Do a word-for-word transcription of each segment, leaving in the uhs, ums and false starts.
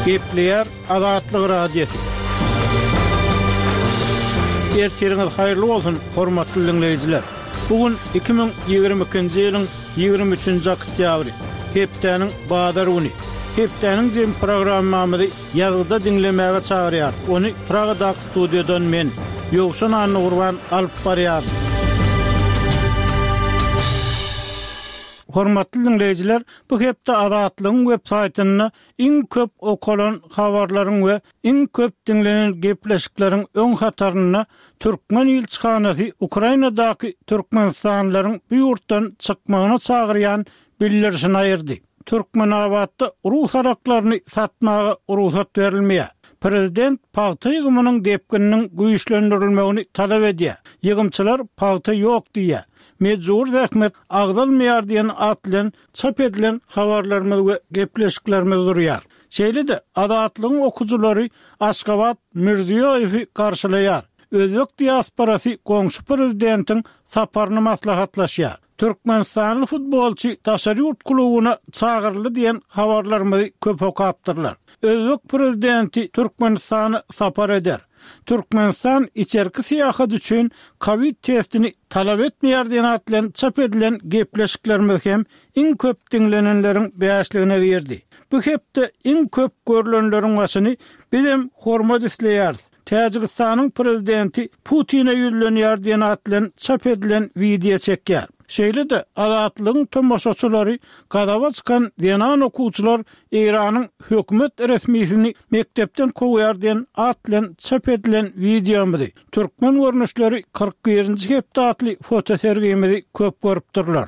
Gepleýär Azatlyk Radiosy. Ertiriňiz haýyrly bolsun, hormatly diňleýjiler! Bu gün iki müň ýigrimi ikinji ýylyň ýigrimi üçünji oktýabry, hepdäniň bazar güni. Hepdäniň jemi programmamyzy ýazgyda diňlemäge çagyrýarys. Ony Pragadaky studiýadan men, Ýowşan Annagurban alyp barýaryn. Hormatly diňleýjiler, bu hepde Azatlygyň web saýtynda iň köp okalan habarlaryň we iň köp diňlenen gepleşikleriň öň hatarynda türkmen ilçihanasy Ukrainadaky türkmenistanlylaryň bu ýurtdan çykmagyna çagyrýan bildirişini aýyrdy. Türkmenabatda rus araklaryny satmaga rugsat berilmeýär. Prezident pagta ýygymynyň depgininiň güýçlendirilmegini talap edýär. Ýygymçylar pagta ýok diýýär. Mejbury zähmet agzalmaýar diýen at bilen çap edilen habarlarymyz we gepleşiklerimiz durýar. Şeýle-de, Azatlygyň okyjylary Aşgabat Mirziýoýewi garşylaýar. Özbek diasporasy goňşy prezidentiň saparyny maslahatlaşýar. Türkmenistanly futbolçy daşary ýurt klubuna çagyryldy diýen habarlarymyzy köp okapdyrlar. Özbek prezidenti Türkmenistana sapar eder. Türkmenistan içerki syýahat üçin kowid testini talap etmeýär diýen at bilen çap edilen gepleşiklerimiz hem iň köp diňlenenleriň bäşligine girdi. Bu hepde iň köp görlenleriň başyny Bizem hormat isleýäris, Täjigistanyň prezidenti Putine ýüzlenýär diýen at bilen çap edilen wideo çekýär. Şeýle-de, Azatlygyň tomaşaçylary gazaba çykan zenan okuwçylar Eýranyň hökümet resmisini mekdepden kowýar diýen at bilen çap edilen wideomyzy, Türkmen görnüşleri kyrk birinji hepde atly fotosergimizi köp görüpdirler.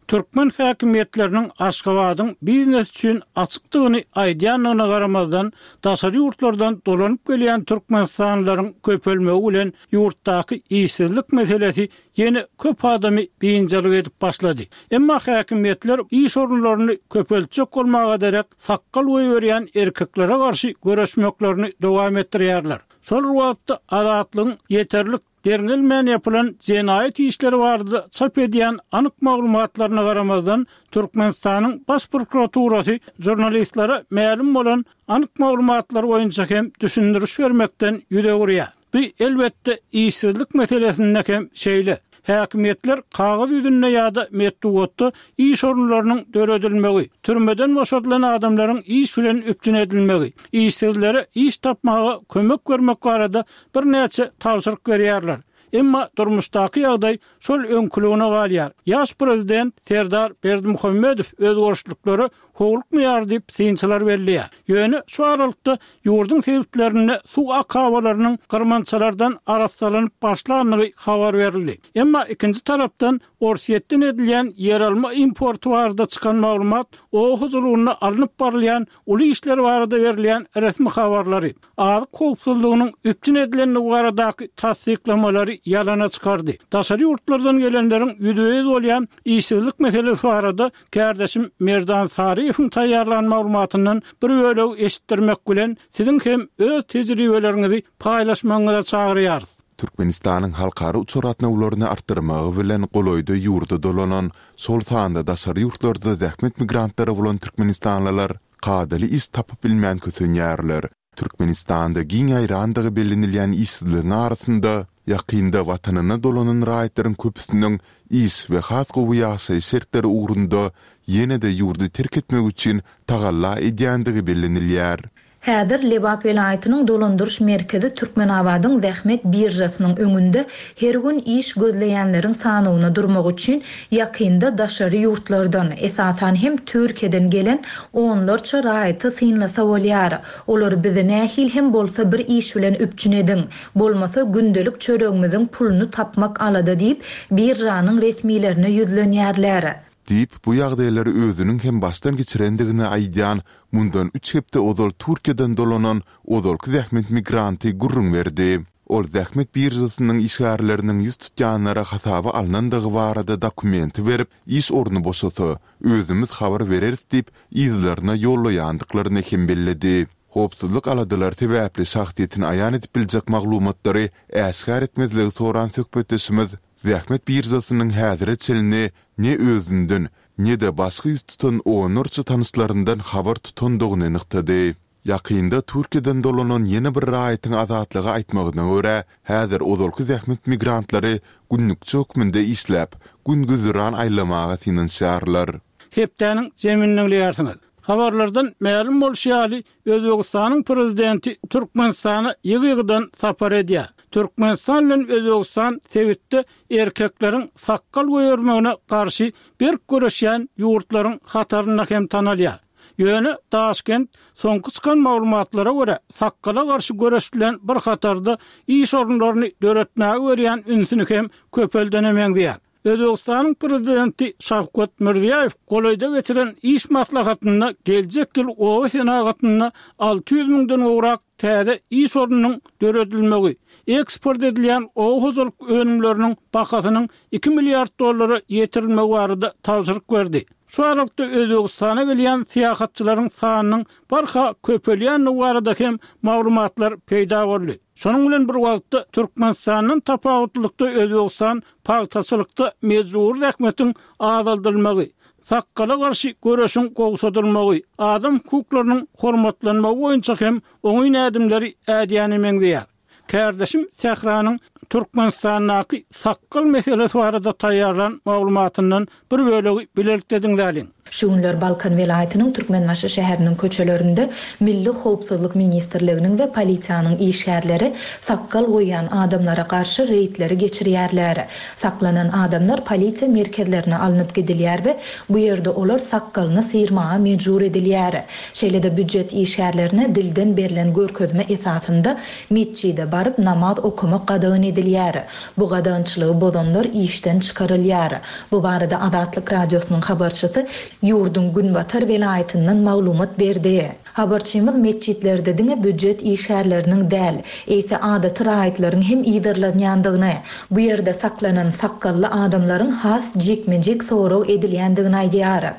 Türkmen häkimiýetleriniň Aşgabadyň biznes üçin açykdygyny aýdýandygyna garamazdan, daşary ýurtlardan dolanyp gelýän türkmenistanlylaryň köpelmegi bilen ýurtdaky işsizlik meselesi ýene köp adamy biynjalyk edip başlady. Emma häkimiýetler iş orunlaryny köpeltjek bolmaga derek, sakgal goýberýän erkeklere garşy göreşmeklerini dowam etdirýärler. Şol bir wagtda, Azatlygyň ýeterlik Derňelmän ýapylan jenaýat işleri barada çap edýän anyk maglumatlaryna garamazdan, Türkmenistanyň Baş prokuraturasy žurnalistlere mälim bolan anyk maglumatlar boýunça hem düşündiriş bermekden ýüz öwürýär. Bu, elbetde, işsizlik meselesinde hem şeýle. Häkimiýetler kagyz ýüzünde ýa-da metbugatda iş orunlarynyň döredilmegi, türmeden boşadylan adamlaryň iş bilen üpjün edilmegi, işsizlere iş tapmaga kömek bermek barada birnäçe tabşyryk berýärler. Emma durmuşdaky ýagdaý şol öňküligine galýar. Ýaş prezident Serdar Berdimuhamedow özgerişliklere howlukmaýar diýip, synçylar belleýär. Ýöne şu aralykda ýurduň sebitlerinde suw akabalarynyň gyrmançalardan arassalanyp başlandygy habar berildi. Emma ikinji tarapdan, Orsýetden edilýän ýeralma importy barada çykan maglumat oba hojalygynda alnyp barylýan uly işler barada berilýän resmi habarlary, azyk howpsuzlygynyň üpjün edilendigi baradaky tassyklamalary ýalana çykardy. Daşary ýurtlardan gelenleriň ýüzbe-ýüz bolýan işsizlik meselesi barada kärdeşim Merdan Saryýewiň taýýarlan maglumatyndan bir bölegi eşitdirmek bilen, siziň hem öz tejribeleriňizi paýlaşmagyňyza çagyrýarys. Türkmenistanyň halkara uçar gatnawlaryny artdyrmagy bilen golaýda ýurda dolanan, şol sanda daşary ýurtlarda zähmet migrantlary bolan türkmenistanlylar kadaly iş tapyp bilmän kösenýärler. Türkmenistanda giň ýaýrandygy bellenilýän işsizligiň arasynda, ýakynda watanyna dolanan raýatlaryň köpüsiniň iş we has gowy ýaşaýyş şertleri ugrunda ýene-de ýurdy terk etmek üçin tagalla edýändigi bellenilýär. Häzir Lebap welaýatynyň dolandyryş merkezi Türkmenabadyň zähmet biržasynyň öňünde her gün iş gözleýänleriň sanawyna durmak üçin ýakynda daşary ýurtlardan, esasan hem Türkiýeden gelen onlarça raýaty synlasa bolýar. Olar bizi nähili hem bolsa bir iş bilen üpjün ediň, bolmasa gündelik çöregimiziň puluny tapmak alada diýip, biržanyň resmilerine ýüzlenýärler. Diýip, bu ýagdaýlary özüniň hem başdan geçirendigini aýdýan, mundan üç hepde ozal Türkiýeden dolanan ozalky zähmet migranty gürrüň berdi. Ol zähmet biržasynyň işgärleriniň ýüz tutýanlara hasaba alnandygy barada dokumenti berip, iş orny boşasa, özümiz habar bereris diýip, yzlaryna ýollaýandyklaryny hem belledi. Howpsuzlyk aladalary sebäpli şahsyýetini aýan edip biljek maglumatlary äşgär etmezligi soran söhbetdeşimiz zähmet biržasynyň häzire çenli ne özünden, ne-de başga ýüz tutan onlarça tanyşlaryndan habar tutandygyny nygtady. Ýakynda Türkiýeden dolanan ýene bir raýatyň Azatlyga aýtmagyna görä, häzir ozalky zähmet migrantlary günlükçi hökmünde işläp, gün-güzeran aýlamaga synanyşýarlar. Hepdäniň jemini diňleýärsiňiz. Habarlardan mälim bolşy ýaly, Özbegistanyň Prezidenti Türkmenistana ýygy-ýygydan sapar edýär. Türkmenistan bilen Özbegistan sebitde erkekleriň sakgal goýbermegine garşy berk göreşýän ýurtlaryň hatarynda hem tanalýar. Ýöne Daşkent soňky çykan maglumatlara görä, sakgala garşy göreş bilen bir hatarda iş orunlaryny döretmäge berýän ünsüni hem köpeldene meňzeýär. Özbegistanyň Prezidenti Şawkat Mirziýoýew golaýda geçiren iş maslahatynda geljek ýyl oba senagatynda alty ýüz müňden gowrak täze iş ornunyň döredilmegi, eksport edilýän oba hojalyk önümleriniň bahasynyň iki milliard dollara ýetirilmegi barada tabşyryk berdi. Şu aralykda Özbegistana gelýän syýahatçylaryň sanynyň barha köpelýändigi barada hem maglumatlar peýda boldy. Şonuň bilen bir wagtda, Türkmenistandan tapawutlylykda Özbegistan pagtaçylykda mejbury zähmetiň azaldylmagy, sakgala garşy göreşiň gowşadylmagy, adam hukuklarynyň hormatlanmagy boýunça hem oňyn ädimleri ädýäne meňzeýär. Kärdeşim Sähranyň Türkmenistandaky sakgal meselesi barada taýýarlan maglumatyndan bir bölegi bilelikde diňläliň. Şu günler Balkan welaýatynyň Türkmenbaşy şäheriniň köçelerinde Milli howpsuzlyk ministrliginiň we polisiýanyň işgärleri sakgal goýýan adamlara garşy reýdleri geçirýärler. Saklanan adamlar polisiýa merkezlerine alnyp gidilýär we bu ýerde olar sakgalyny syrmaga mejbur edilýär. Şeýle-de býujet işgärlerine dilden berlen görkezme esasynda metjide baryp namaz okamak gadagan edilýär. Bu gadagançylygy bozanlar işden çykarylýar. Bu barada Azatlyk Radiosynyň habarçysy ýurduň günbatar welaýatyndan maglumat berdi. Habarçymyz metjitlerde diňe býujet işgärleriniň däl, eýse adaty raýatlaryň hem yzarlanýandygyny, bu ýerde saklanan sakgally adamlaryň has jikme-jik sorag edilýändigini aýdýar.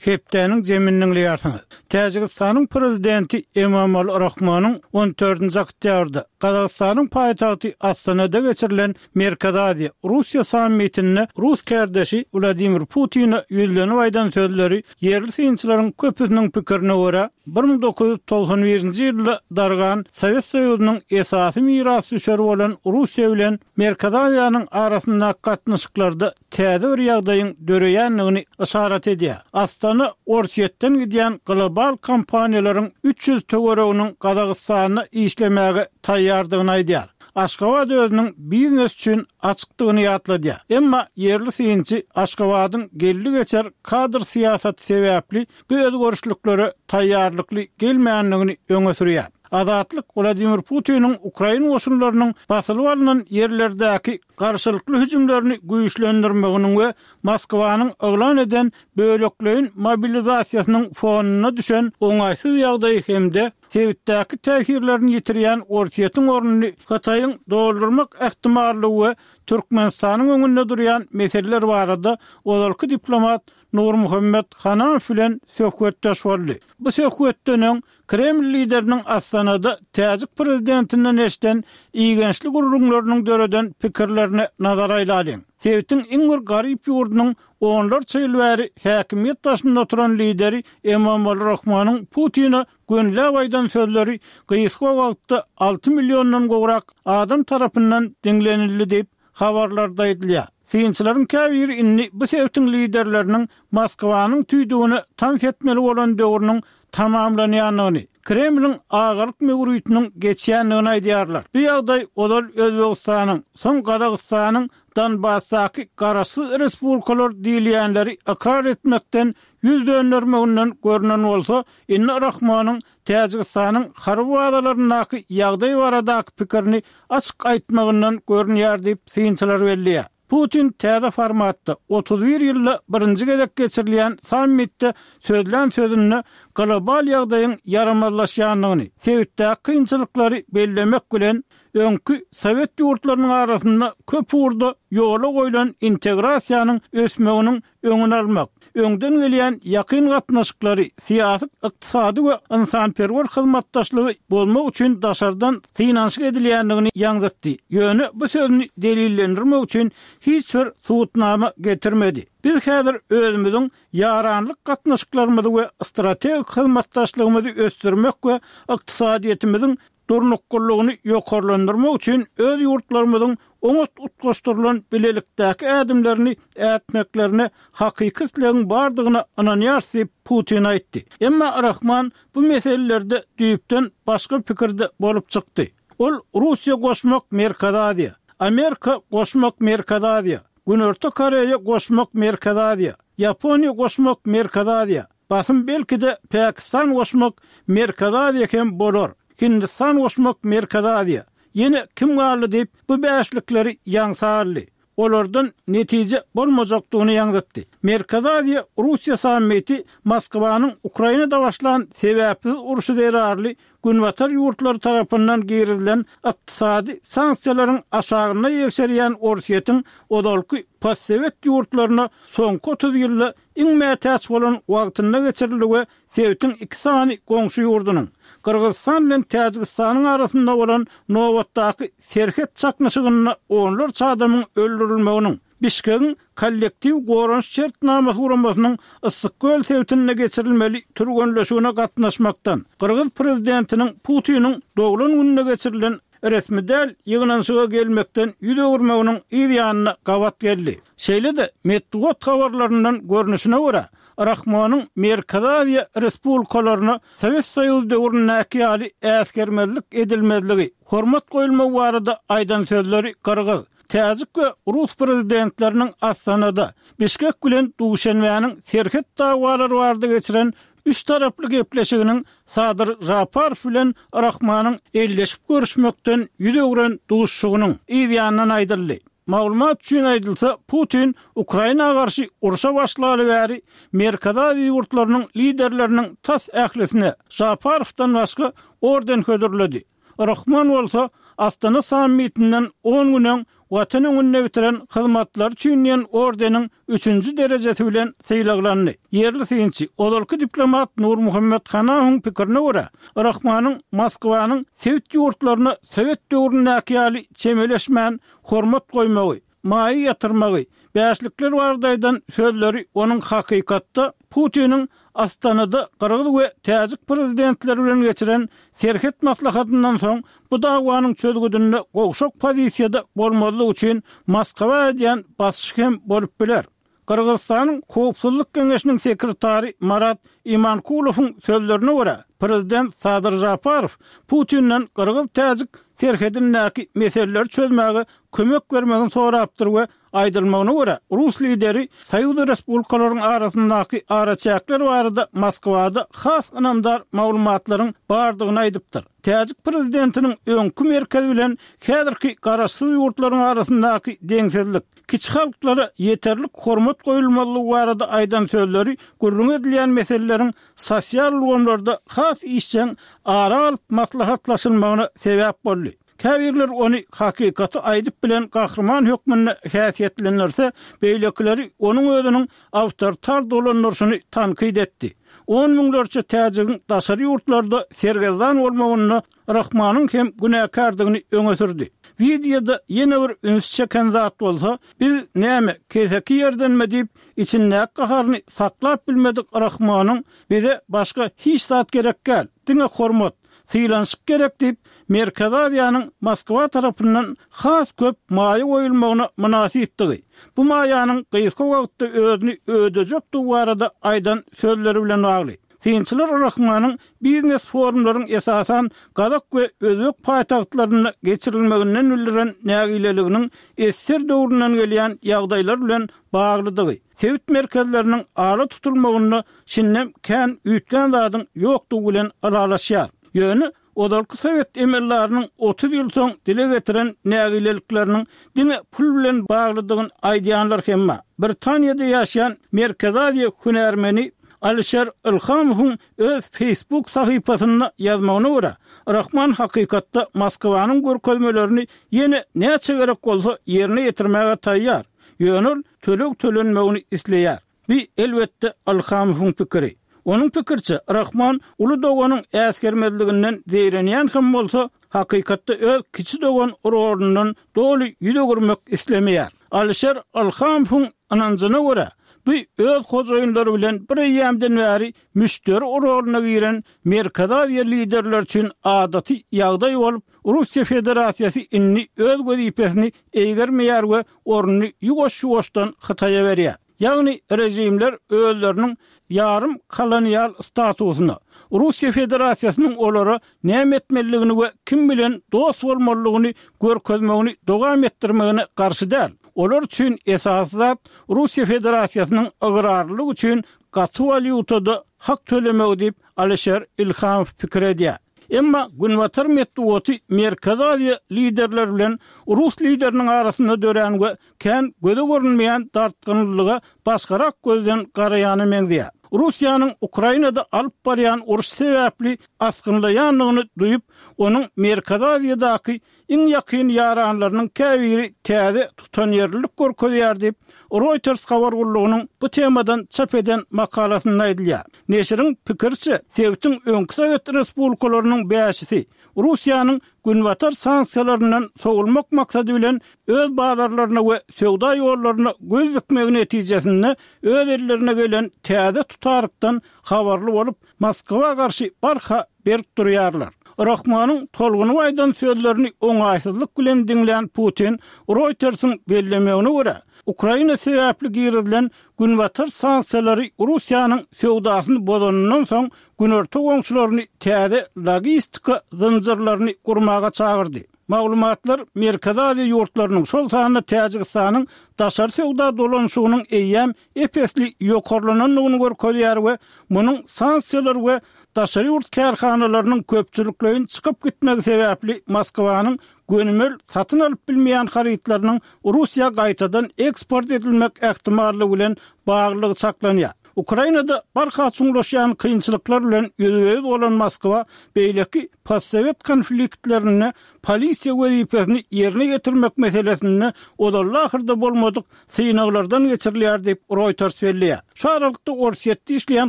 Hepdäniň jemini diňleýärsiňiz. Täjigistanyň prezidenti Emomali Rahmonyň on dördünji oktýabrda Gazagystanyň paýtagty Astanada geçirilen Merkezi Aziýa, Russiýa sammitinde rus kärdeşi Wladimir Putine ýüzlenip aýdan sözleri ýerli synçylaryň köpüsiniň pikirine görä, bir müň dokuz ýüz togsan birinji ýylda dargan Sowet Soýuzynyň esasy mirasdüşeri bolan Russiýa bilen Merkezi Aziýanyň arasyndaky gatnaşyklarda täze bir ýagdaýyň döreýändigini yşarat edýär. Astana Orsýetden gidýän global kompaniýalaryň üç ýüz töwereginiň Gazagystanda işlemäge taýýardygyny aýdýar. Aşgabat özüniň biznes üçin açykdygyny ýatladýar. Emma ýerli synçy Aşgabadyň geldi geçer kadr syýasaty sebäpli bu özgerişliklere taýýarlykly gelmändigini öňe sürýär. Azatlyk Wladimir Putiniň Ukraina goşunlarynyň basylyp alnan ýerlerdäki garşylykly hüjümlerini güýçlendirmeginiň we Moskwanyň yglan eden bölekleýin mobilizasiýasynyň fonuna düşen oňaýsyz ýagdaýy hem-de sebitdäki täsirlerini ýitirýän Orsýetiň ornuny Hytaýyň doldurmak ähtimallygy we Türkmenistanyň öňünde durýan meseleler barada ozalky diplomat Nurmuhammet Hanamow bilen söhbetdeş boldy. Bu söhbetden öň Kreml lideriniň Astanada täjik prezidentinden eşiden igençli gürrüňleriniň döreden pikirlerine nazar aýlalyň. Sebitiň iň bir garyp ýurdunyň onlarça ýyl bäri häkimiýet başynda oturan lideri Emomali Rahmonyň Putine gönüläp aýdan sözleri gysga wagtda alty milliondan gowrak adam tarapyndan diňlenildi diýip habarlarda aýdylýar. Synçylaryň käbiri indi bu sebitiň liderleriniň Moskwanyň tüýdügine tans etmeli bolan döwrüniň tamamlanýandygyny, Kremliň agalyk möwritiniň geçýändigini aýdýarlar. Bu ýagdaý ozal Özbegistanyň, soň Gazagystanyň Donbasdaky garaşsyz respublikalar diýilýänleri ykrar etmekden ýüz döndermeginden görünen bolsa, indi Rahmonyň Täjigistanyň harby bazalaryndaky ýagdaý baradaky pikirini açyk aýtmagyndan görünýär diýip synçylar belleýär. Putin täze formatda otuz bir ýylda birinji gezek geçirilýän sammitde sözlän sözünde global ýagdaýyň ýaramazlaşýandygyny, sebitdäki kynçylyklary bellemek bilen öňki sowet ýurtlarynyň arasynda köp ugurda ýola goýlan integrasiýanyň ösmeginiň öňüni almak, öňden gelýän ýakyn gatnaşyklary, syýasy, ykdysady we ynsanperwer hyzmatdaşlygy bozmak üçin daşardan synanyşyk edilýändigini ýaňzytdy. Ýöne bu sözüni delillendirmek üçin hiç bir subutnama getirmedi. Biz häzir özümiziň ýaranlyk gatnaşyklarymyzy we strategik hyzmatdaşlygymyzy ösdürmek we ykdysadyýetimiziň durnuklylygyny ýokarlandyrmak üçin öz ýurtlarymyzyň oňat utgaşdyrylan bilelikdäki ädimlerini ätmeklerine hakyky islegiň bardygyna ynanýarys diýip, Putin aýtdy. Emma Rahman bu meselelerde düýpden başga pikirde bolup çykdy. Ol Russiýa goşmak Merkezi Aziýa, Amerika goşmak Merkezi Aziýa, Günorta Koreýa goşmak Merkezi Aziýa, Ýaponiýa goşmak Merkezi Aziýa, basym belki-de Pakistan goşmak Merkezi Aziýa hem bolar, Hindistan goşmak Merkezi Aziýa, ýene kim galdy diýip, bu bäşlikleri ýaňsa aldy. Olardan netije bolmajakdygyny ýaňzytdy. Merkezi Aziýa, Russiýa sammiti Moskwanyň Ukrainada başlan sebäpsiz urşy zerarly Günbatar ýurtlary tarapyndan girizilen ykdysady sanksiýalaryň aşagynda ýegşerýän Orsýetiň ozalky postsowet ýurtlaryna soňky otuz ýylda iň mätäç bolan wagtynda geçirildi we sebitiň iki sany goňşy ýurdunyň, Gyrgyzystan bilen Täjigistanyň arasynda bolan nobatdaky serhet çaknyşygynda onlarça adamyň öldürilmeginiň, Bişkegiň Kollektiw goranyş şertnamasy guramasynyň Yssyk-Köl sebitinde geçirilmeli türgenleşigine gatnaşmakdan, gyrgyz prezidentiniň Putiniň doglan gününde geçirilen resmi däl ýygnanyşyga gelmekden ýüz öwürmeginiň yz ýanyna gabat geldi. Şeýle-de, metbugat habarlaryndan görnüşine görä, Rahmonyň Merkezi Aziýa respublikalaryna Sowet Soýuzy döwründäki ýaly äsgermezlik edilmezligi, hormat goýulmagy barada aýdan sözleri gyrgyz, täjik we rus prezidentleriniň Astanada, Bişkek bilen Duşenbäniň serhet dawalary barada geçiren üç taraply gepleşiginiň Sadyr Žaparow bilen Rahmanyň elleşip görüşmekden ýüz öwren duşuşygynyň yz ýanyndan aýdyldy. Maglumat üçin aýdylsa, Putin Ukraina garşy urşa başlaly bäri Merkezi Aziýa ýurtlarynyň liderleriniň tas ählisine, Žaparowdan başga, orden hödürledi. Rahmon bolsa Astana sammitinden on gün öň Watan öňünde bitiren hyzmatlary üçin diýen ordeniň üçünji derejesi bilen sylaglandy. Ýerli synçy, ozalky diplomat Nurmuhammet Hanawyň pikirine görä, Rahmanyň Moskwanyň sebit ýurtlaryna sowet döwründäki ýaly çemeleşmän hormat goýmagy, maýa ýatyrmagy, bäşlikler barada aýdan sözleri onuň hakykatda Putiniň Astanada gyrgyz we täjik prezidentleri bilen geçiren serhet maslahatyndan soň bu dawanyň çözgüdinde gowşak pozisiýada bolmazlyk üçin Moskwa edýän basyşy hem bolup biler. Gyrgyzystanyň Howpsuzlyk geňeşiniň sekretary Marat Imankulowyň sözlerine görä, prezident Sadyr Žaparow Putinden gyrgyz-täjik serhedindäki meseleleri çözmäge kömek bermegini sorapdyr we aýdylmagyna görä, rus lideri soýuz respublikalaryň arasyndaky araçäkler barada Moskwada has ynamdar maglumatlaryň bardygyny aýdypdyr. Täjik prezidentiniň öňki merkez bilen häzirki garaşsyz ýurtlaryň arasyndaky deňsizlik, kiçi halklara ýeterlik hormat goýulmazlygy barada aýdan sözleri gürrüňi edilýän meseleleriň sosial ulgamlarda has işjeň ara alyp maslahatlaşylmagyna sebäp boldy. Käbirler ony hakykaty aýdyp bilen gahryman hökmünde häsiýetlendirse, beýlekileri onuň özüniň awtoritar dolandyryşyny tankyt etdi. On müňlerçe täjigiň daşary ýurtlarda sergezdan bolmagynda Rahmanyň hem günäkärdigini öňe sürdi. Wideoda ýene bir ünsi çeken zat bolsa, Biz näme, keseki ýerdenmi diýip, içindäki gaharyny saklap bilmedik Rahmanyň Bize başga hiç zat gerek däl, diňe hormat, sylanyşyk gerek diýip, Merkezi Aziýanyň Moskwa tarapyndan has köp maýa goýulmagyna mynasypdygy, bu maýanyň gysga wagtda özüni ödejekdigi barada aýdan sözleri bilen bagly. Synçylar Rahmanyň biznes forumlaryň esasan gazak we özbek paýtagtlarynda geçirilmeginden bildiren nägileliginiň ssr döwründen gelýän ýagdaýlar bilen baglydygy, sebit merkezleriniň ala tutulmagynda şindem kän üýtgän zadyň ýokdugy bilen ylalaşýar. Ýöne ozalky sowet emeldarynyň otuz ýyl soň dile getiren nägilelikleriniň diňe pul bilen baglydygyny aýdýanlar hem bar. Britaniýada ýaşaýan Merkezi Aziýa hünärmeni Alişer Ilhamowyň öz Facebook sahypasynda ýazmagyna görä, Rahman hakykatda Moskwanyň görkezmelerini ýene näçe gerek bolsa ýerine ýetirmäge taýýar, ýöne ol töleg tölenmegini isleýär. Bu, elbetde, Ilhamowyň pikiri. Onuň pikiriçe, Rahman uly doganyň äsgermezliginden zeýrenýän hem bolsa, hakykatda öz kiçi dogan rolundan doly ýüz öwürmek islemeýär. Alişer Ilhamowyň ynanjyna görä, bu öz hojaýynlary bilen bir eýýämden bäri müşderi roluna giren Merkezi Aziýa liderleri üçin adaty ýagdaý bolup, Russiýa Federasiýasy indi öz wezipesini eýgermeýär we ornuny ýuwaş-ýuwaşdan Hytaýa berýär. Ýagny režimler özleriniň ýarym kolonial statusyna, Russiýa Federasiýasynyň olara näme etmelidigini we kim bilen dost bolmalydygyny görkezmegini dowam etdirmegine garşy däl. Olar üçin esasy zat Russiýa Federasiýasynyň ygrarlylygy üçin gaty walýutada hak tölemegi diýip, Alişer Ilhamow pikir edýär. Emma günbatar metbugaty Merkezi Aziýa liderleri bilen rus lideriniň arasynda dörän we kän göze görünmeýän dartgynlylyga başgarak gözden garaýana meňzeýär. Russiýanyň Ukrainada alyp barýan urşy sebäpli asgynlaýandygyny duýup, onuň Merkezi Aziýadaky iň ýakyn ýaranlarynyň käbiri täze tutanýerlilik görkezýär diýip, Reuters habar gullugynyň bu temadan çap eden makalasynda aýdylýar. Neşiriň pikiriçe, sebitiň öňki sowet respublikalarynyň bäşisi Russiýanyň Günbatar sanksiýalaryndan sowulmak maksady bilen öz bazarlaryna we söwda ýollaryna göz dikmegi netijesinde öz ellerine gelen täze tutarykdan habarly bolup, Moskwa garşy barha berk durýarlar. Rahmanyň tolgunyp aýdan sözlerini oňaýsyzlyk bilen diňlän Putin, Reuters-iň bellemegine görä, Ukraina sebäpli girizilen Günbatar sanksiýalary Russiýanyň söwdasyny bozanyndan soň günorta goňşularyny täze logistika zynjyrlaryny gurmaga çagyrdy. Maglumatlar Merkezi Aziýa ýurtlarynyň, şol sanda Täjigistanyň daşary söwda dolanyşygynyň eýýäm ep-esli ýokarlanandygyny görkezýär we munuň sanksiýalar we daşary ýurt kärhanalarynyň köpçülikleýin çykyp gitmegi sebäpli Moskwanyň gönümel satyn alyp bilmeýän harytlarynyň Russiýa gaýtadan eksport edilmek ähtimallygy bilen baglylygy çaklanýar. Ukrainada barha çuňlaşýan kynçylyklar bilen ýüzbe-ýüz bolan Moskwa beýleki postsowet konfliktlerinde polisiýa wezipesini ýerine ýetirmek meselesinde ozalda-ahyrda bolmadyk synaglardan geçirilýär diýip, Reuters belleýär. Şu aralykda Orsýetde işleýän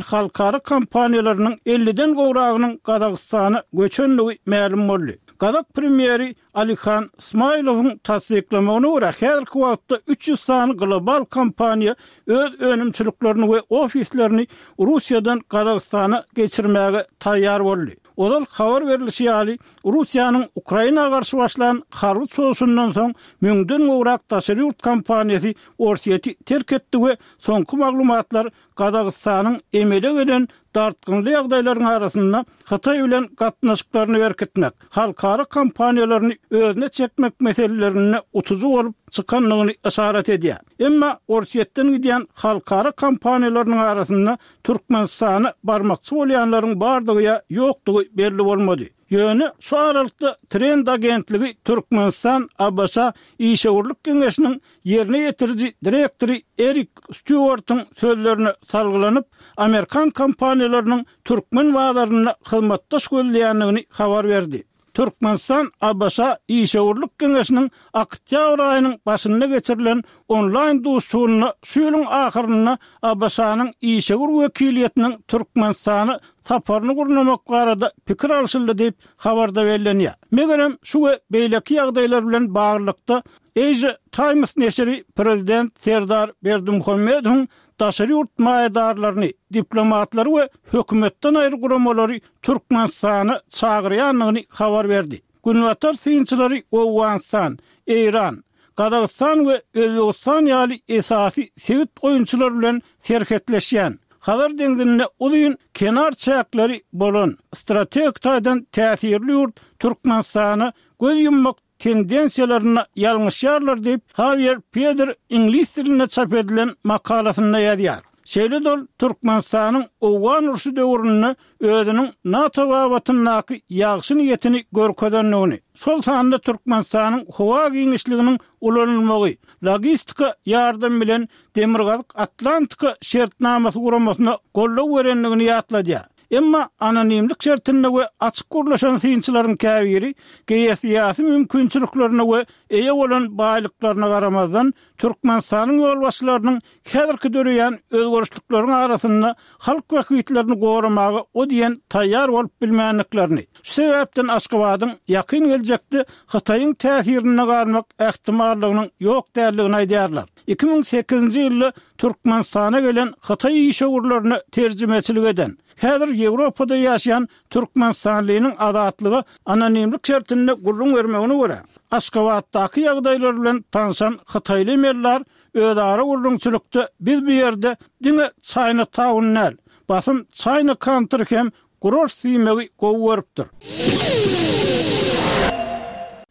halkara kompaniýalarynyň elliden gowragynyň Gazagystana göçendigi mälim boldy. Gazak premýeri Alihan Smailowyň tassyklamagyna görä, häzirki wagtda üç ýüz sany global kompaniýa öz önümçiliklerini we ofislerini Russiýadan Gazagystana geçirmäge taýýar boldy. Ozal habar berlişi ýaly, Russiýanyň Ukraina garşy başlan harby çozuşyndan soň müňden gowrak daşary ýurt kompaniýasy Orsýeti terk etdi we soňky maglumatlar Gazagystanyň emele gelen dartgynly ýagdaýlaryň arasynda Hytaý bilen gatnaşyklaryny berkitmek, halkara kompaniýalaryny özüne çekmek meselelerinde utujy bolup çykandygyny yşarat edýär. Emma Orsýetden gidýän halkara kompaniýalarynyň arasynda Türkmenistana barmakçy bolýanlaryň bardygy ýa ýokdugy belli bolmady. Ýöne şu aralykda Trend agentligi Türkmenistan-ABŞ işewürlik geňeşiniň ýerine ýetiriji direktory Erik Stýuartyň sözlerine salgylanyp, amerikan kompaniýalarynyň türkmen bazarynda hyzmatdaş gözleýändigini habar berdi. Türkmenistan-ABŞ işewürlik geňeşiniň oktýabr aýynyň başynda geçirilen onlaýn duşuşygynda şu ýylyň ahyrynda ABŞ-nyň işewür wekiliýetiniň Türkmenistana saparyny gurnamak barada pikir alşyldy diýip, habarda bellenýär. Megerem, şu we beýleki ýagdaýlar bilen baglylykda, Asia Times neşiri prezident Serdar Berdimuhamedowyň daşary ýurt maýadarlaryny, diplomatlary we hökümetden aýry guramalary Türkmenistana çagyrýandygyny habar berdi. Günbatar synçylary Owganystan, Eýran, Gazagystan we Özbegistan ýaly esasy sebit oýunçylary bilen serhetleşýän, Hazar deňzinde uzyn kenar çäkleri bolan, strategik taýdan täsirli ýurt Türkmenistana göz ýummak tendensiýalarynda ýalňyşýarlar diýip, Hawier Peder iňlis dilinde çap edilen makalasynda ýazýar. Şeýle-de ol Türkmenistanyň Owgan urşy döwründe özüniň NATO babatyndaky ýagşy niýetini görkezendigini, şol sanda Türkmenistanyň howa giňişliginiň ulanylmagy, logistika ýardam bilen Demirgazyk Atlantika şertnamasy guramasyna goldaw berendigini ýatladýar. Emma anonimlik şertinde we açyk gürleşen synçylaryň käbiri geosyýasy mümkinçiliklerine we eýe bolan baýlyklaryna garamazdan, Türkmenistanyň ýolbaşçylarynyň häzirki döreýän özgerişlikleriň arasynda halk bähbitlerini goramaga o diýen taýýar bolup bilmändiklerini, şu sebäpden Aşgabadyň ýakyn geljekde Hytaýyň täsirinde galmak ähtimallygynyň ýok däldigini aýdýarlar. Iki müň sekizinji ýylda Türkmenistana gelen hytaý işewürlerine terjimeçilik eden, häzir Ýewropada ýaşaýan türkmenistanlynyň Azatlyga anonimlik şertinde gürrüň bermegine görä, Aşgabatdaky ýagdaýlar bilen tanşan hytaýly emellar özara gürrüňçilikde biz bu ýerde diňe China Town däl, basym China Country hem gurarys diýmegi gowy görüpdir.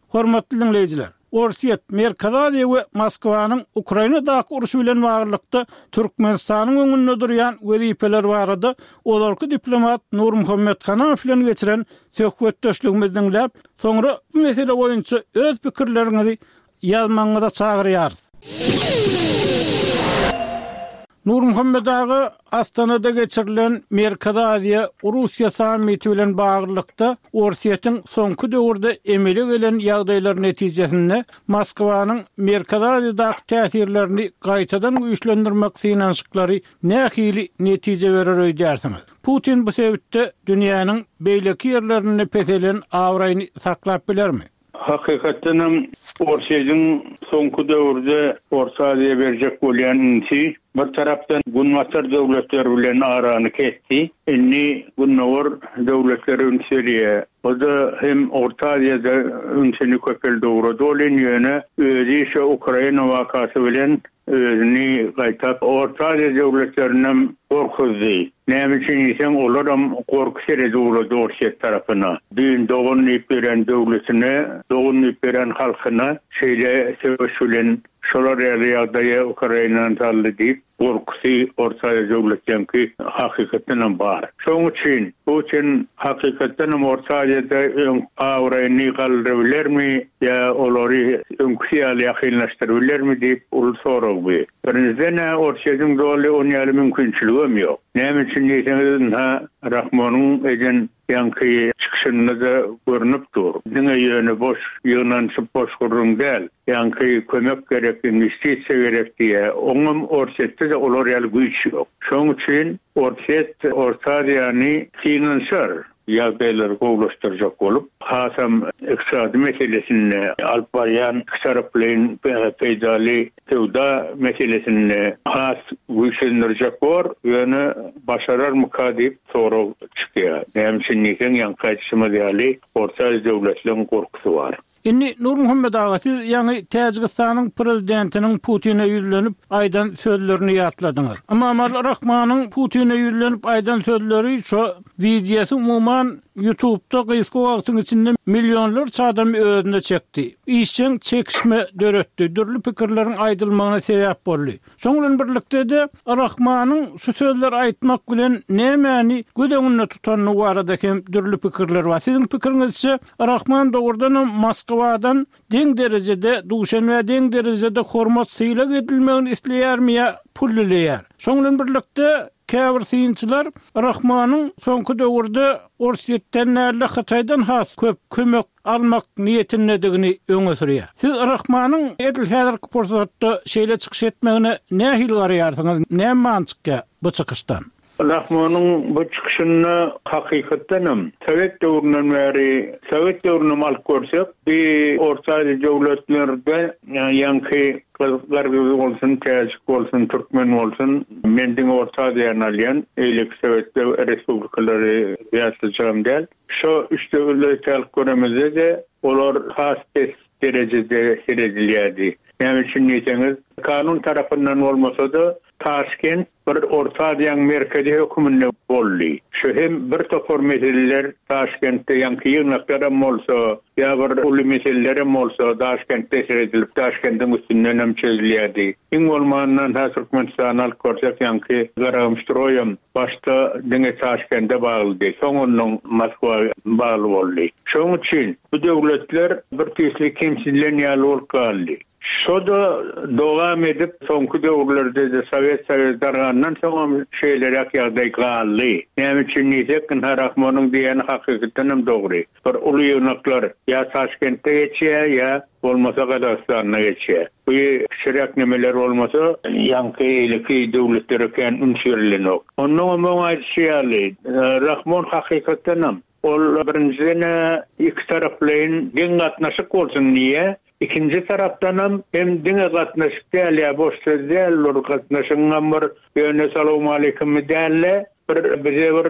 Hormatly diňleýjiler! Orsýet, Merkezi Aziýa we Moskwanyň Ukrainadaky urşy bilen baglylykda Türkmenistanyň öňünde durýan wezipeler barada ozalky diplomat Nurmuhammet Hanamow bilen geçiren söhbetdeşligimizi diňläp, soňra bu mesele boýunça öz pikirleriňizi ýazmagyňyza çagyrýarys. Nurmuhammet aga, Astanada geçirilen Merkezi Aziýa, Russiýa sammiti bilen baglylykda, Orsýetiň soňky döwürde emele gelen ýagdaýlar netijesinde Moskwanyň Merkezi Aziýadaky täsirlerini gaýtadan güýçlendirmek synanyşyklary nähili netije berer öýdýärsiňiz? Putin bu sebitde dünýäniň beýleki ýerlerinde peselen abraýyny saklap bilermi? Hakykatdan hem Orsýetiň soňky döwürde Orta Aziýa berjek bolýan ünsi bir tarapdan Günbatar döwletleri bilen arany kesdi. Indi Gündogar döwletleri üns berýär. O-da hem Orta Aziýada ünsüni köpeldi ugrady welin, ýöne özi şu Ukraina wakasy bilen özüni gaýtap Orta Aziýa döwletlerinem gorkuzdy. Näme üçin diýseň, olaram gorky seredi ugrady Orsýet tarapyna. Düýn dogan diýip beren döwletine, dogan diýip beren halkyna şeýle söweş bilen şolar ýaly ýagdaýa Ukrainany saldy diýip, gorkusy Orta Aziýa döwletleňki hakykatdanam bar. Şonuň üçin Putin hakykatdanam Orta Aziýada öň abraýyny galdyrybilermi ýa olary öňküsi ýaly ýakynlaşdyrybilermi diýip uly sorag bu. Birinjiden-ä Orsýetiň doly on ýaly mümkinçiligem ýok. Näme üçin diýseňiz, ynha Rahmonyň eden ýaňky çykyşynda-da görnüp dur. Diňe ýöne boş ýygnanyşyp boş gürrüň däl. Ýaňky kömek gerek, inwestisiýa gerek diýýär. Oňam Orsýetde-de olar ýaly güýç ýok. Şonuň üçin Orsýet Orta Aziýany synanyşar, ýagdaýlary gowulaşdyrjak bolup, hasam ykdysady meselesinde alyp barýan ikitaraplaýyn peýdaly söwda meselesinde has güýçlendirjek bor, ýöne başararmyka diýip sorag çykýar. Näme üçin diýseň, ýaňky aýdyşymyz ýaly, Orta Aziýa döwletleň gorkusy bar. Indi Nurmuhammet aga, siz ýaňy Täjigistanyň prezidentiniň Putine ýüzlenip aýdan sözlerini ýatladyňyz. Emomali Rahmanyň Putine ýüzlenip aýdan sözleri şo wideosy umuman YouTube'da gysga wagtyň içinde millionlarça adamy özüne çekdi. Işjeň çekişme döretdi, dürli pikirleriň aýdylmagyna sebäp boldy. Şoň bilen birlikde-de Rahmanyň şu sözleri aýtmak bilen nämäni göz öňünde tutany barada hem dürli pikirler bar. Siziň pikiriňizçe Rahman dogrudanam Moskwadan deň derejede, Duşenbä deň derejede hormat sylag edilmegini isleýärmi ýa pul dileýär? Şoň bilen birlikde käbir synçylar Rahmanyň soňky döwürde Orsýetden däl-de Hytaýdan has köp kömek almak niýetindedigini öňe sürýär. Siz Rahmanyň edil häzirki pursatda şeýle çykyş etmegine nähili garaýarsyňyz? Näme many çykýar bu çykyşdan? Rahmanyň bu çykyşynda hakykatdanam Sowet döwründen bäri, Sowet döwrünem alyp görsek, bir Orta Aziýa döwletlerde ýaňky gyrgyz bolsun, täjik bolsun, türkmen bolsun, men diňe Orta Aziýany alýan, beýleki Sowet respublikalary ýatlyjagam däl. Şo üç döwleti alyp göremizde-de, olar has pes derejede seredilýärdi. Näme üçin diýseňiz, kanun tarapyndan bolmasa-da, Taşkent bir Orta Aziýanyň merkezi höküminde boldy. Şu hem bir topar meseleler Taşkentde ýaňky ýygnaklar bolsa, ýa bir uly meseleler bolsa Taşkentde seredilip Taşkendiň üstünden hem çözülýärdi. Iň bolmandan ha Türkmenistan alyp görsek ýaňky Garagumstroýam başda diňe Taşkende baglydy. Soň onuň Moskwa bagly boldy. Şonuň üçin bu döwletler bir tüýsli kemsilen ýaly bolup galdy. Şo-da dowam edip soňky döwürlerde de Sowet Soýuz dargandan soň şeýleräk ýagdaý galdy. Näme üçin diýsek, Rahmonyň diýeni hakykatdan hem dogry. Bir uly ýygnaklar ýa Taşkentde geçýär, ýa bolmasa Gazagystanda geçýär. Bu kiçiräk nemeler bolmasa, ýaňky eýleki döwletlere kän üns berilenok. Ondan hem aýdyşy ýaly, Rahmon hakykatdan hem ol birinjiden iki taraplaýyn deň gatnaşyk bolsun diýe, İkinci tarapdanam hem diňe gatnaşyk däl ýa boş söz däl, ol gatnaşygyň bir ýöne salam aleyküm däl, bir bize bir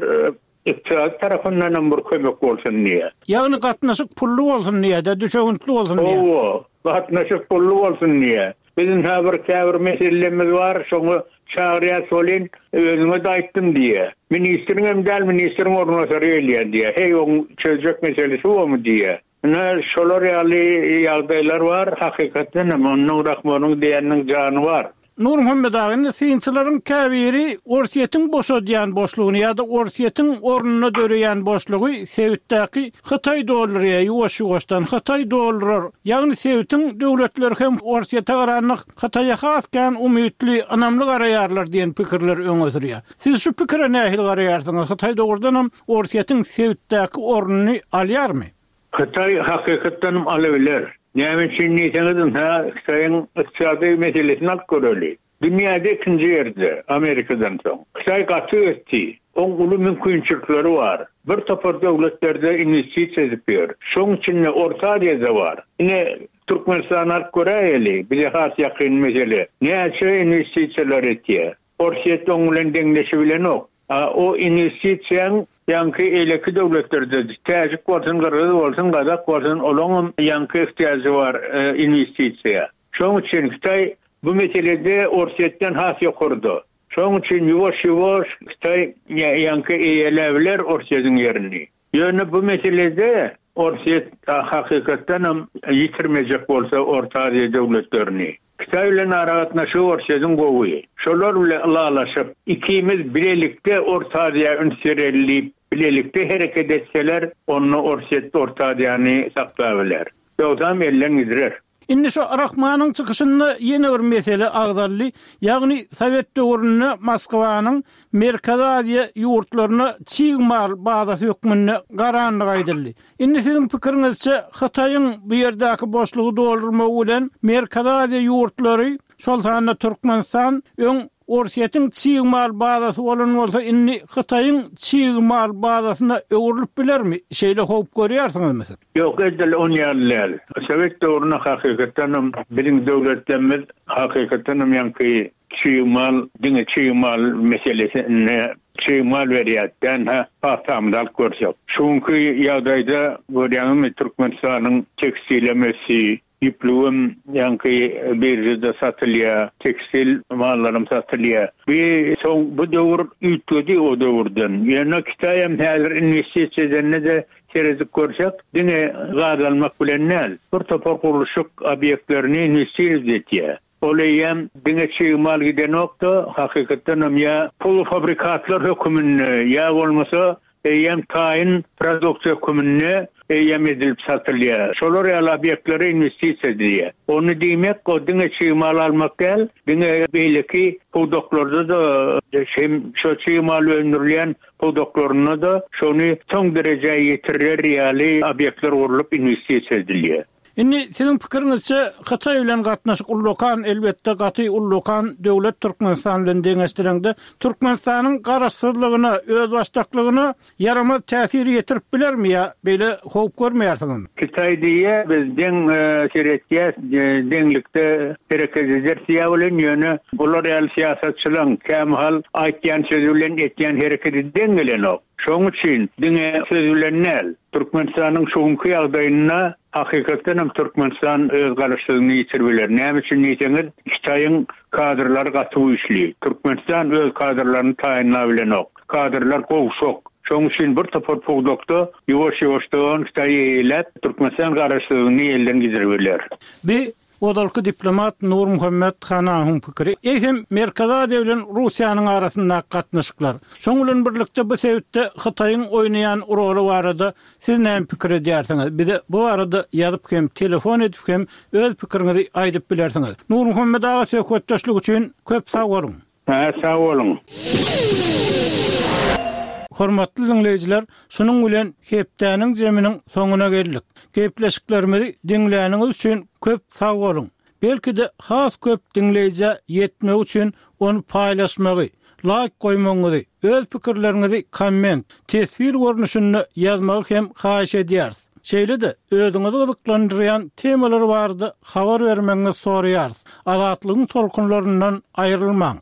ykdysady tarapyndan hem bir kömek bolsun diýe. Ýagny gatnaşyk pully bolsun diýe, de düşewüntli bolsun diýe. Owo, gatnaşyk pully bolsun diýe. Bizim ha bir käbir meselemiz bar, şoňa çağırýar solin, özüňe de aýtdym diýe. Ministriň hem däl, ministriň orunbasary gelýär diýe. Hey, oň çözjek meselesi bomy diýe. Ine şolar ýaly ýagdaýlar bar, hakykatdan hem onuň Rahmonyň diýeniniň jany bar. Nur Muhammed aga, indi synçylaryň käbiri Orsýetiň boşadýan boşlugyny ýa-da Orsýetiň ornuna döreýän boşlugy sebitdäki Hytaý doldurýar, ýuwaş-ýuwaşdan Hytaý doldurar. Ýagny sebitiň döwletleri hem Orsýete garanlyk Hytaýa has kän umytly, ynamly garaýarlar diýen pikirler öňe sürýär. Siz şu pikire nähili garaýarsyňyz? Hytaý dogrudan hem Orsýetiň sebitdäki ornuny alýarmy? Hytaý hakykatdan alybiler. Näme üçin diýseňiz, ha, Hytaýyň ykdysady meselesini alyp göreli. Dünýäde ikinji ýerde Amerikadan soň. Hytaý gaty ösdi. Oň uly mümkinçilikleri bar. Bir topar döwletlerde investisiýa edip ýör. Şoň üçin Orta Aziýada bar. Ine Türkmenistan alyp göräýeli, bize has ýakyn mesele. Näçe investisiýalar etýär? Orsýet oň bilen deňleşi bilenok. A, o investisiýaň ýaňky eýleki döwletlerde Täjik bolsun, Gyrgyz bolsun, Gazak bolsun, olaňam ýaňky ihtiýajy bar e, investisiýa. Şoň üçin Hytaý bu meselede Orsýetden has ýokarda. Şoň üçin ýuwaş-ýuwaş Hytaý ýaňky eýeläbiler Orsýetiň ýerini. Ýöne bu meselede Orsýet hakykatdan hem ýitirmejek bolsa Orta Aziýa döwletlerini. Hytaý bilen aragatnaşygy Orsýetiň gowy. Şolar bilen ylalaşyp, ikimiz bilelikde Orta Aziýa üns bereli bilelikde hereket etseler, onda Orsýet Orta Aziýany saklabiler. Ýogsam elden gidirer. Indi şu Rahmanyň çykyşynda ýene bir mesele agzaldy. Ýagny Sowet döwründe Moskwanyň Merkezi Aziýa ýurtlaryna çig mal bazasy hökmünde garanlyk aýdyldy. Indi siziň pikiriňizçe Hytaýyň bu ýerdäki boşlugy doldurmagy bilen Merkezi Aziýa ýurtlary, şol sanda Türkmenistan öň Orsýetiň çig mal bazasy bolan bolsa indi Hytaýyň çig mal bazasyna öwrülip bilermi? Şeýle howp görýärsiňizmi siz? Ýok, edil on ýaly däl. Sowet döwründe hakykatdan hem biziň döwletlerimiz hakykatdan hem ýaňky çig mal, diňe çig mal meselesine çig mal berýärdi. Ha, pagtamyzy alyp görsek. Çünki ýagdaýda görýäňizmi Türkmenistanyň tekstil ösdi, ýüplügem ýaňky birjede satylýar, tekstil mallaram satylýar. Bir soň bu döwür üýtgedi o döwürden. Ýöne Hytaý hem häzir investisiýa edende de seredip görsek, diňe gaz almak bilen däl, bir topar gurluşyk obýektlerini investisiýa etýär. Ol eýem diňe çig mal gidenokda, hakykatdan hem ýa pulfabrikatlar höküminde ýa bolmasa eýem taýyn produksiýa höküminde eýem edilip satylýar. Şolar ýaly obýektlere investisiýa edilýär. Ony diýmek, o diňe çig mal almak däl, diňe beýleki pudaklarda da hem şo çig mal öndürilýän pudaklarynda da şony soň derejä ýetirer ýaly obýektler gurlup investisiýa edilýär. Indi siziň pikiriňizçe Hytaý bilen gatnaşyk ullakan, elbetde gaty ullakan döwlet Türkmenistan bilen deňeşdireňde Türkmenistanyň garaşsyzlygyna, özbaşdaklygyna ýaramaz täsir ýetirip bilermi ýa beýle howp görmeýärsiňizmi? Hytaý diýe biz deň seretýäs, deňlikde hereket eder diýä bilen ýöne bular ýaly syýasatçylaryň kämahal aýtýan sözi bilen etýän hereketi deň gelenok. Şonuň üçin diňe söz bilen däl, Türkmenistanyň şuňky ýagdaýynda Hakykatdan hem Türkmenistan öz garaşsyzlygyny ýitirip biler. Näme üçin diýseňiz, Hytaýyň kadrlary gaty güýçli. Türkmenistan öz kadrlaryny taýynlap bilenok. Kadrlar gowşak. Şonuň üçin bir topar pudakda ýuwaş-ýuwaşdan Hytaý eýeläp, Türkmenistan garaşsyzlygyny elden gidirip biler. Bi ozalky diplomat Nurmuhammet Hanahyň pikiri. Eýsem Merkezi Aziýa bilen Russiýanyň arasyndaky gatnaşyklar, şoň bilen birlikde bu sebitde Hytaýyň oýnaýan roly barada siz näme pikir edýärsiňiz? Bize bu barada ýazyp hem, telefon edip hem öz pikiriňizi aýdyp bilersiňiz. Nurmuhammet aga söhbetdeşlik üçin köp sag boluň. Hä, sag boluň. Hormatly diňleýjiler, şunuň bilen hepdäniň zeminiň soňuna geldik. Gepleşiklerimizi diňläniňiz üçin köp sag boluň. Belki-de has köp diňleýjä ýetmek üçin ony paýlaşmagy, laýk goýmagyňyzy, öz pikirleriňizi komment, teswir görnüşinde ýazmagy hem haýyş edýäris. Şeýle-de özüňizi gyzyklandyrýan temalar barada habar bermegiňizi soraýarys. Azatlygyň tolkunlaryndan aýrylmaň.